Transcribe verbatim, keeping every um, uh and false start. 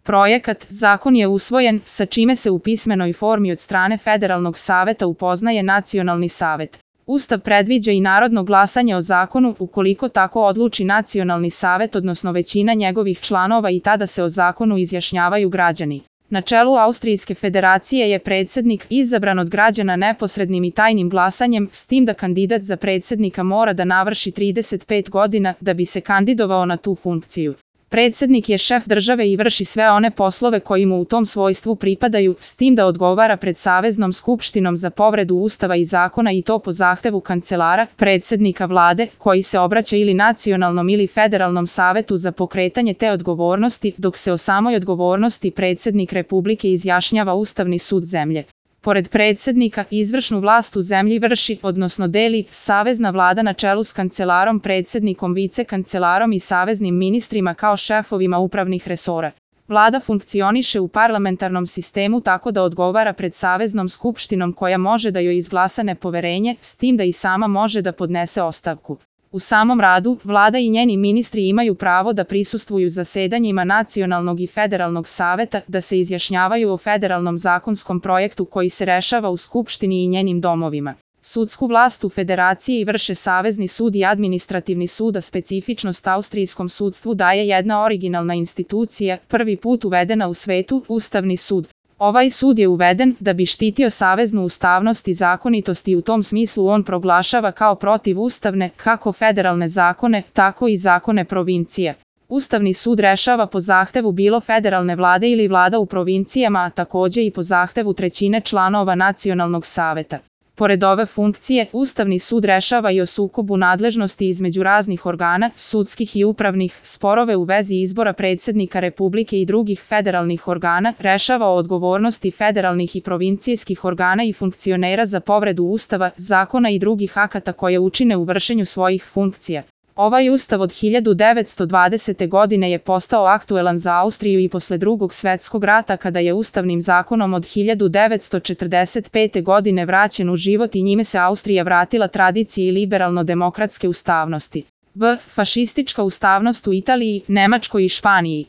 Projekat zakon je usvojen, sa čime se u pismenoj formi od strane Federalnog saveta upoznaje Nacionalni savet. Ustav predviđa i narodno glasanje o zakonu ukoliko tako odluči Nacionalni savet, odnosno većina njegovih članova, i tada se o zakonu izjašnjavaju građani. Na čelu Austrijske federacije je predsjednik izabran od građana neposrednim i tajnim glasanjem, s tim da kandidat za predsjednika mora da navrši trideset pet godina da bi se kandidovao na tu funkciju. Predsjednik je šef države i vrši sve one poslove koji mu u tom svojstvu pripadaju, s tim da odgovara pred Saveznom skupštinom za povredu Ustava i zakona, i to po zahtevu kancelara, predsjednika vlade, koji se obraća ili Nacionalnom ili Federalnom savetu za pokretanje te odgovornosti, dok se o samoj odgovornosti predsjednik Republike izjašnjava Ustavni sud zemlje. Pored predsjednika, izvršnu vlast u zemlji vrši, odnosno deli, savezna vlada na čelu s kancelarom, predsjednikom, vice-kancelarom i saveznim ministrima kao šefovima upravnih resora. Vlada funkcioniše u parlamentarnom sistemu tako da odgovara pred Saveznom skupštinom koja može da joj izglasa nepoverenje, s tim da i sama može da podnese ostavku. U samom radu, vlada i njeni ministri imaju pravo da prisustvuju zasedanjima Nacionalnog i Federalnog saveta, da se izjašnjavaju o federalnom zakonskom projektu koji se rešava u Skupštini i njenim domovima. Sudsku vlast u federaciji vrše Savezni sud i Administrativni sud, a specifičnost austrijskom sudstvu daje jedna originalna institucija, prvi put uvedena u svetu, Ustavni sud. Ovaj sud je uveden da bi štitio saveznu ustavnost i zakonitost, i u tom smislu on proglašava kao protivustavne kako federalne zakone, tako i zakone provincije. Ustavni sud rešava po zahtevu bilo federalne vlade ili vlada u provincijama, a takođe i po zahtevu trećine članova Nacionalnog saveta. Pored ove funkcije, Ustavni sud rešava i o sukobu nadležnosti između raznih organa, sudskih i upravnih, sporove u vezi izbora predsjednika Republike i drugih federalnih organa, rešava o odgovornosti federalnih i provincijskih organa i funkcionera za povredu Ustava, zakona i drugih akata koje učine u vršenju svojih funkcija. Ovaj ustav od hiljadu devetsto dvadesete godine je postao aktuelan za Austriju i posle Drugog svetskog rata, kada je Ustavnim zakonom od hiljadu devetsto četrdeset pete godine vraćen u život i njime se Austrija vratila tradiciji liberalno-demokratske ustavnosti. V. Fašistička ustavnost u Italiji, Nemačkoj i Španiji.